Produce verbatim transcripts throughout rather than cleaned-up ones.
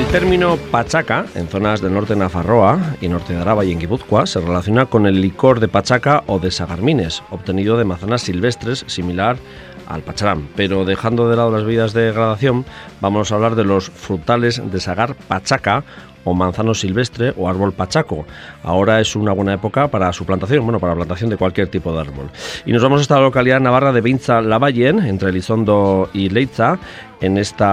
El término pachaca, en zonas del norte de Nafarroa y norte de Araba y en Guipúzcoa, se relaciona con el licor de pachaca o de sagarmines, obtenido de manzanas silvestres, similar al pacharán. Pero dejando de lado las bebidas de gradación, vamos a hablar de los frutales de sagar pachaca, o manzano silvestre o árbol pachaco. Ahora es una buena época para su plantación, bueno, para la plantación de cualquier tipo de árbol. Y nos vamos hasta la localidad navarra de Beintza-Lavallen, entre Elizondo y Leitza. En este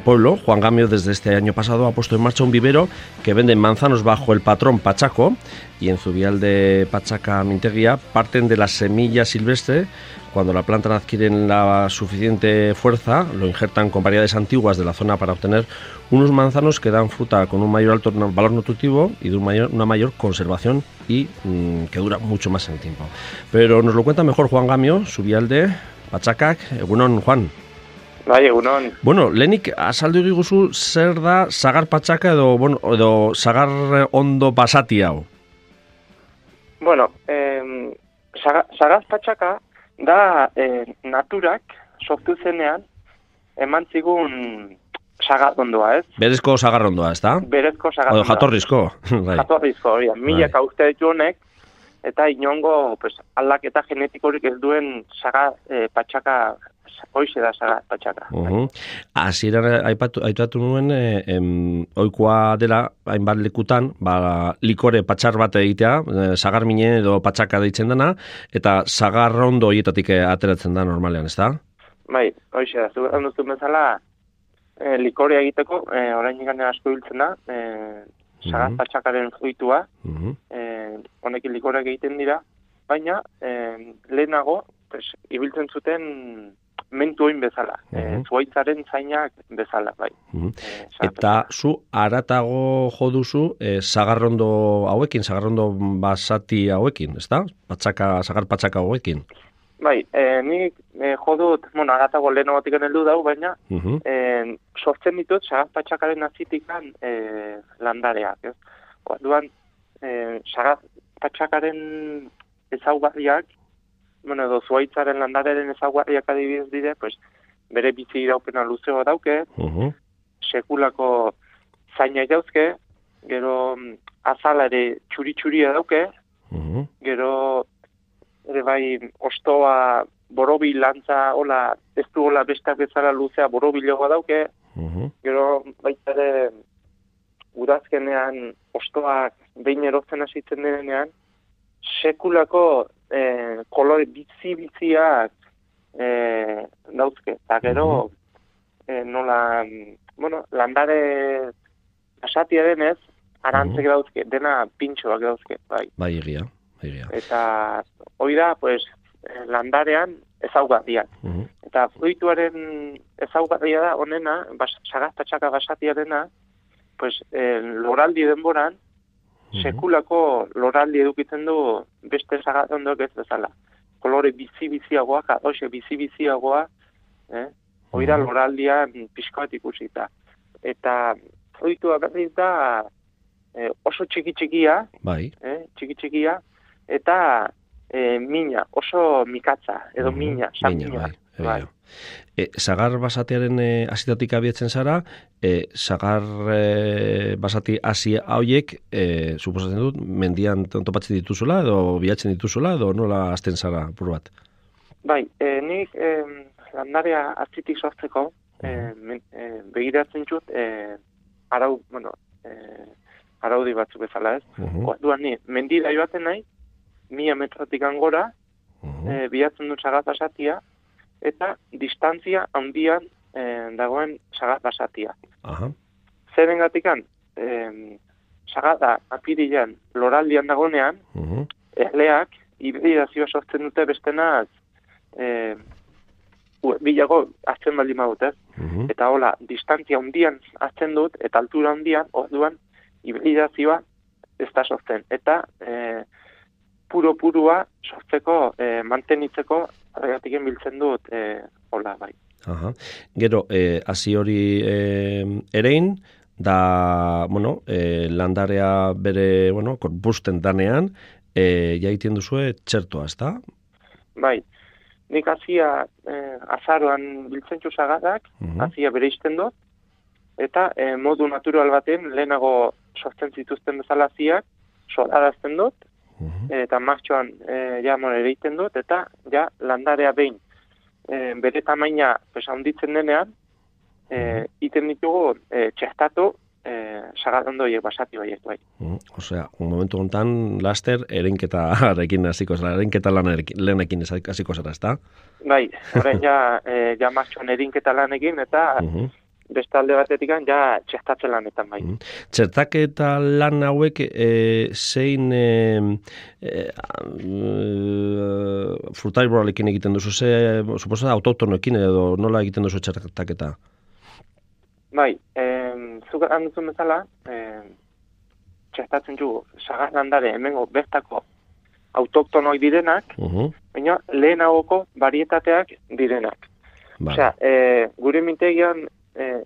pueblo, Juan Gamio desde este año pasado ha puesto en marcha un vivero que vende manzanos bajo el patrón pachaco, y en Zubial de Pachaca Minteguía parten de la semilla silvestre. Cuando la planta adquiere la suficiente fuerza, lo injertan con variedades antiguas de la zona para obtener unos manzanos que dan fruta con un mayor alto valor nutritivo y de un mayor, una mayor conservación y mmm, que dura mucho más en el tiempo. Pero nos lo cuenta mejor Juan Gamio, Zubial de Pachaca. Egunon, Juan. Bai, egunon. Bueno, lehenik azaldu diguzu zer da sagar pachaca edo, bueno, edo sagar ondo basati hau? Bueno, eh, sagar, sagar pachaca da eh, naturak sortu zenean eman zigun sagarrondoa, ez? Berezko sagarrondoa, ez da? Berezko sagarrondoa. O jatorrizko. Jatorrizko, hori. Milaka urte ditu honek, eta inongo pues, aldaketa genetikorik ez duen sagar eh, patxaka, hoize da sagar patxaka. Uh-huh. Hasieran aipatu, aipatu nuen, eh, em, oikoa dela, hainbat lekutan, ba, likore patxar bat egitea, eh, sagar minen edo patxaka deitzen dena, eta sagarrondo hietatik ateratzen da normalean, ez da? Bai, hoize da, zu handuzu bezala, E, likorea egiteko, e, orain gane asko hiltzen da, e, sagar patxakaren fruitua, uh-huh. e, honekin likoreak egiten dira, baina e, lehenago pues, ibiltzen zuten mentu oin bezala, uh-huh. e, zuaitzaren zainak bezala, bai. Uh-huh. e, Eta zu aratago jo duzu e, sagarrondo hauekin, sagarrondo basati hauekin, ez da? Patxaka, sagar patxaka hauekin. Bai, e, nik e, jodut, bueno, agatago leheno batik heldu dau, baina uh-huh. e, sortzen ditut sagar patxakaren azitikan e, landareak, ez? Orduan, e, sagar patxakaren ezaugarriak, bueno, edo zuaitzaren landareren ezaugarriak adibidez dire, pues, bere bizi iraupena luzeo dauke, uh-huh. sekulako zainak dauzke, gero azala ere txuri-txuria dauke, uh-huh. gero ere bai, ostoa, borobil lantza, hola, ez du hola bestak bezala luzea borobiloa dauke, uh-huh. gero baita ere udazkenean ostoak behin erotzen hasitzen denean, sekulako eh, kolore bizi-biziak eh, dauzke. Eta gero, uh-huh. eh, nola, bueno, landare asatia denez, arantzek uh-huh. dauzke, dena pintxoak dauzke, bai. Bai, egia. Eta hori da, pues, landarean ezaugarriak. Uh-huh. Eta fruituaren ezaugarria da, honena, bas, sagar patxaka basatiarena, pues, eh, loraldi denboran, uh-huh. sekulako loraldi edukitzen du beste sagarrondoak ez bezala. Kolore bizi-biziagoak, adoxe bizi-biziagoa, eh? hori da uh-huh. loraldian pixkoat ikusita. Eta fruitua berriz da eh, oso txiki-txikia, bai. eh, txiki-txikia, eta e, mina, oso mikatza, edo mina, san mina. Bai, bai. E, sagar basatearen e, asitatik abietzen zara, e, sagar e, basati hasi hauek, e, suposatzen dut, mendian topatzen dituzula, edo bilatzen dituzula, edo nola hasten zara, pur bat? Bai, e, nik e, landarea atzitik sortzeko, e, men, e, begiratzen txut, e, arau, bueno, e, araudi batzuk bezala ez. Uh-huh. Duan ni, mendira joaten nahi, mila metrotik angora, uh-huh. e, bilatzen dut sagar basatia, eta distantzia handian e, dagoen sagar basatia. Uh-huh. Zeren gatikan, e, sagar da apirilean loraldian dagoenean, uh-huh. erleak hibridazioa sortzen dute bestenaz e, bilago hartzen baldin badut, ez? Uh-huh. Eta hola, distantzia handian hartzen dut, eta altura handian, orduan, hibridazioa ez da sortzen. Eta e, puro-purua sortzeko, e, mantenitzeko, arregatiken biltzen dut, e, hola, bai. Aha. Gero, e, hasi hori e, erein, da, bueno, e, landarea bere, bueno, korpusten danean, e, jaitien duzue txertoa, ez da? Bai, nik hasia e, azaroan biltzen txu sagarrak, uh-huh. hasia bere izten dut, eta e, modu natural baten lehenago sortzen zituzten bezala ziak, solarazten dut, uh-huh. eta martxoan e, ja mon ereiten dut, eta ja landarea behin e, bere tamaina pues, handitzen denean, e, iten ditugu e, txestatu e, sagarrondo horiek basati horiek bai. Uh, Osea, un momentu hontan laster erenketarekin hasiko zara, erenketa lanekin hasiko zara, ezta? Bai, orain ja, e, ja martxoan erinketa lanekin, eta uh-huh. beste alde batetik ja txestatze lanetan bai. Uh-huh. Txertaketa lan hauek e, zein e, e, frutaiboralekin egiten duzu, ze, suposa autotonoekin edo nola egiten duzu txertaketa? Bai, eh, zuk handuzun bezala, eh, txestatzen dugu, sagar landare hemengo bertako autoktonoi direnak, uh-huh. baina lehenagoko varietateak direnak. Vale. Osea, eh, gure mintegian, eh,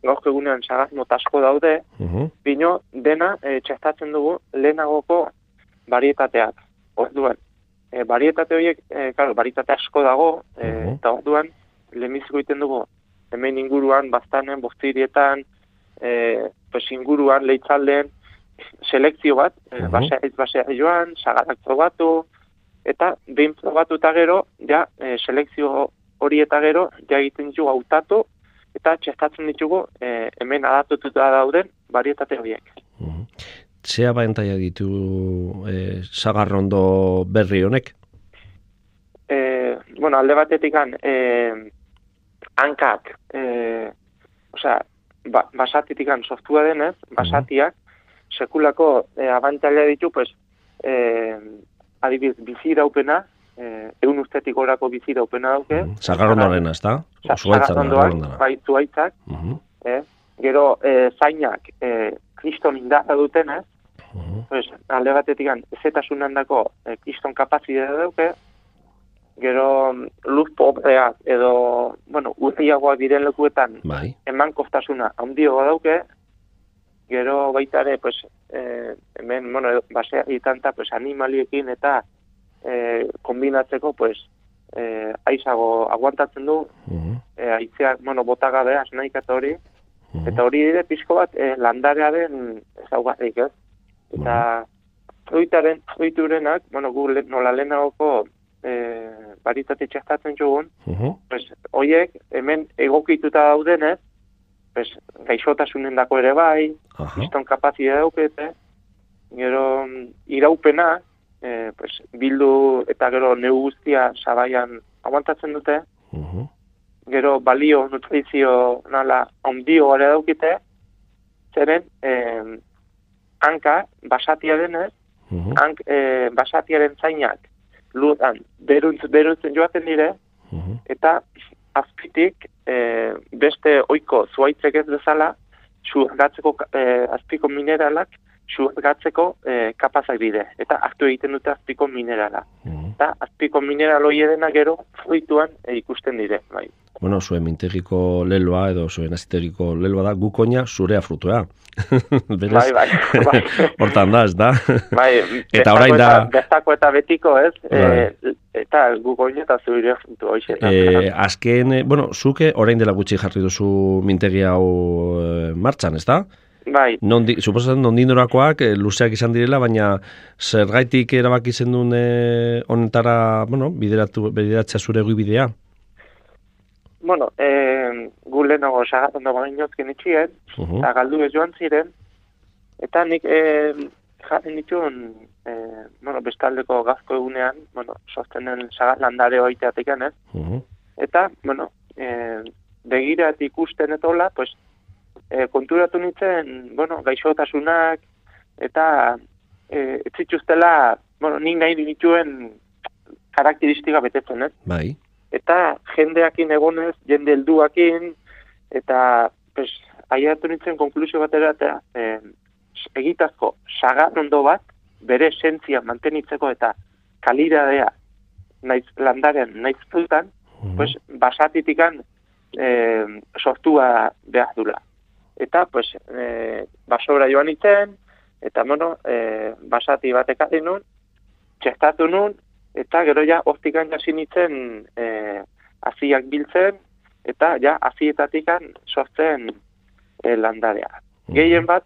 gaurko egunean sagar motasko daude, uh-huh. bino dena eh, txestatzen dugu lehenagoko varietateak. Orduan, eh, varietate horiek, eh, claro, varietate asko dago, eh, uh-huh. eta orduan, lehenbiziko egiten dugu, hemen inguruan, baztanen, bostirietan, e, pues inguruan, leitzalden, selekzio bat, uh-huh. basea ez basea joan, sagarak probatu, eta behin probatu eta gero, ja, e, selekzio hori eta gero, ja egiten ditugu hautatu, eta txestatzen ditugu e, hemen adatututa dauden varietate horiek. Uh-huh. Zea baentaia ditu e, sagarrondo berri honek? E, bueno, alde batetik e, hankak, eh, osea, ba, basatitikan softua denez, basatiak, sekulako eh, abantaila ditu, pues, eh, adibidez, biziraupena, eh, egun ustetik orako biziraupena dauke. Sagarrondoarena, ez da? Sagarrondoan, bai, zuaitzak. Uh-huh. eh, gero, eh, zainak, eh, kriston indarra dutenez, uh-huh. pues, alde batetikan, ezetasunan dako, eh, kriston kapazidea dauke, gero luz pobreak edo, bueno, urriagoak diren lekuetan bai. Eman kostasuna handioa dauke, gero baita ere, pues, eh, hemen, bueno, basea ditanta, pues, animaliekin eta eh, kombinatzeko, pues, eh, aizago aguantatzen du, uh-huh. eh, aitzeak, bueno, botagabea, esnaikat hori, uh-huh. eta hori dire pixko bat eh, landarearen ezaugarrik, ez? Eta uh-huh. fruitaren, fruiturenak, bueno, gu nola lehenagoko Eh, baritate txestatzen jogun, uh-huh. pues, oiek hemen egokituta daudenez, pues, gaixotasunen dako ere bai, uh-huh. iston kapazidea daukete, gero iraupena, eh, pues, bildu eta gero neu guztia sabaian aguantatzen dute, uh-huh. gero balio, nutrizio nala ondio gara daukite, zeren eh, hanka basatia denez, uh-huh. hank eh, basatiaren zainak, ludan, beruntz, beruntzen joaten dire, uh-huh. eta azpitik e, beste oiko zuaitzek ez bezala, xurgatzeko, e, azpiko mineralak, xurgatzeko e, kapazak dire, eta hartu egiten dute azpiko minerala. Uh-huh. Eta azpiko mineral hori edena gero fruituan e, ikusten dire. Bai. Bueno, zuen mintegiko leloa edo zuen aziteriko leloa da gukoina zurea frutua. Berez, bai, bai, bai. Hortan da, ez da? Bai, eta orain da... Bestako eta betiko, ez? Bai. E, eta gukoina eta zurea frutua hoxe. E, azken, bueno, zuke orain dela gutxi jarri duzu mintegi hau e, martxan, ez da? Bai. Nondi, suposatzen nondinorakoak e, luzeak izan direla, baina zergaitik erabaki zen duen e, honetara, bueno, bideratu, bideratzea zure bidea? Bueno, eh, gu lehenago sagarrondo bagainozken itxien, uh-huh. eta galdu ez joan ziren, eta nik eh, jarren dituen, eh, bueno, bestaldeko gazko egunean, bueno, sostenen sagarlandare oiteatekan, ez? Uh-huh. Eta, bueno, eh, begirat ikusten eta hola, pues, eh, konturatu nintzen, bueno, gaixotasunak, eta eh, etzituztela, bueno, nik nahi dituen karakteristika betetzen, ez? Bai. Eta jendeakin egonez, jende helduakin, eta pues, aiatu nintzen konklusio batera, eta eh, egitazko sagarrondo bat, bere esentzia mantenitzeko eta kaliradea naiz landaren naiz frutan, uh-huh. pues, basatitikan eh, sortua behar dula. Eta pues, eh, basora joan nintzen, eta bueno, eh, basati batek ari nun, txestatu nun, eta gero ja hortikan jasi nintzen eh, aziak biltzen, eta ja azietatikan sortzen e, landarea. Uh-huh. Gehien bat,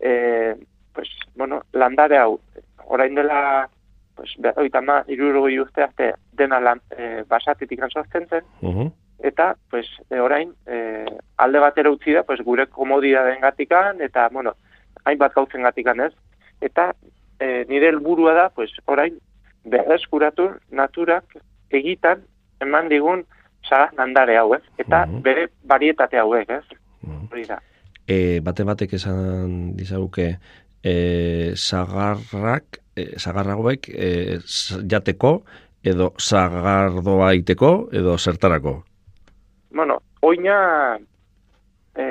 e, pues, bueno, landare hau, orain dela, pues, oita ma, irurogei urte arte dena lan, e, basatetik sortzen zen, uh-huh. eta, pues, e, orain, e, alde batera utzi da, pues, gure komodidadeen gatikan, eta, bueno, hainbat gautzen gatikan ez, eta e, nire helburua da, pues, orain, berreskuratu naturak egitan eman digun sagaz landare hau, ez? Eta uh-huh. bere barietate hauek, ez? Hori da. E, bate batek esan dizaguke, e, sagarrak, e, sagarragoek e, jateko, edo sagardoa iteko, edo zertarako? Bueno, oina e,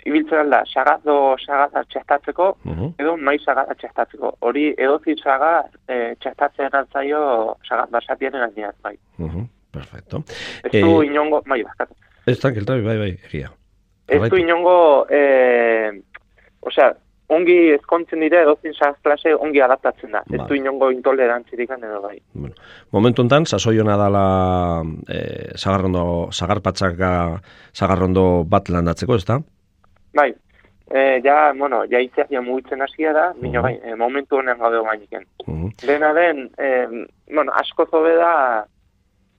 ibiltzen da, sagardo sagarra txestatzeko, uh-huh. edo mai sagarra txestatzeko. Hori edozi sagar e, txestatzen altzaio sagar basatien gainean, bai. Uh-huh. Perfecto. Ez du eh, inongo, bai, bakatu. Ez tranquil, bai, bai, egia. Ez du inongo, eh, osea, ongi ezkontzen dira edozin sagaz klase ongi adaptatzen da. Ba. Ez du inongo intolerantzirik edo bai. Bueno, momentu enten, sasoiona dala eh, sagarrondo, sagarpatzaka sagarrondo bat landatzeko, ez da? Bai, eh, ja, bueno, ja itziak ja mugitzen hasia da, uh-huh. Bino, bai, eh, momentu honen gaude gainiken. Uh-huh. Dena den, eh, bueno, asko zobe da,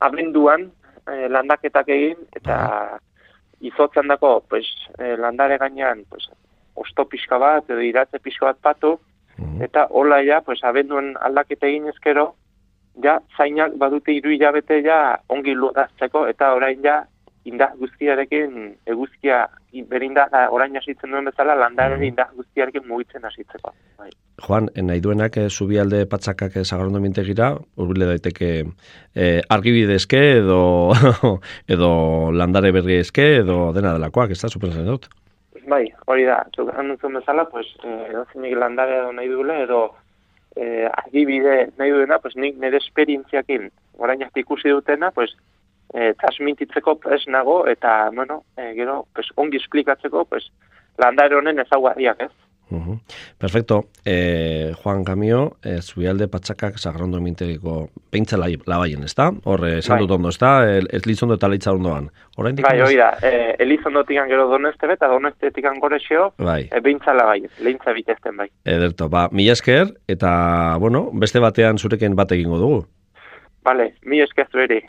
abenduan eh, landaketak egin, eta izotzen dako, pues, eh, landare gainean, pues, osto pixka bat, edo iratze pixka bat patu, uh-huh. eta hola ja, pues, abenduan aldaketa egin ezkero, ja, zainak badute hiru hilabete ja ongi lodazteko, eta orain ja, indar guztiarekin, eguzkia, berindar, orain hasitzen duen bezala, landaren uh-huh. indar guztiarekin mugitzen hasitzeko. Bai. Juan, nahi duenak eh, zubialde patzakak sagarrondo mintegira, urbile daiteke eh, argibidezke edo edo landare berriezke edo dena delakoak, ez da, supenzen dut? Bai, hori da, zuk anuntzen bezala, pues, eh, edo zinik landare edo nahi duele, edo eh, argibide nahi duena, pues, nik nire esperientziakin, orain arte ikusi dutena, pues, eh, transmititzeko pres nago, eta, bueno, eh, gero, pues, ongi esplikatzeko, pues, landare honen ezaugarriak, ez? Uh-huh. Perfecto. Eh, Juan Camio, eh, Zubialde Patxakak sagarrondo mintegiko peintza labaien, ez da? Horre, esan dut ondo, ez da? Elizondo eta leitza ondoan. Bai, hori da. Eh, Elizondotikan gero doneste eta donestetikan gorexeo, bai. E, peintza labaien, leintza bitezten bai. Ederto, ba, mila esker, eta, bueno, beste batean zurekin bat egingo dugu. Vale, mila esker zueri.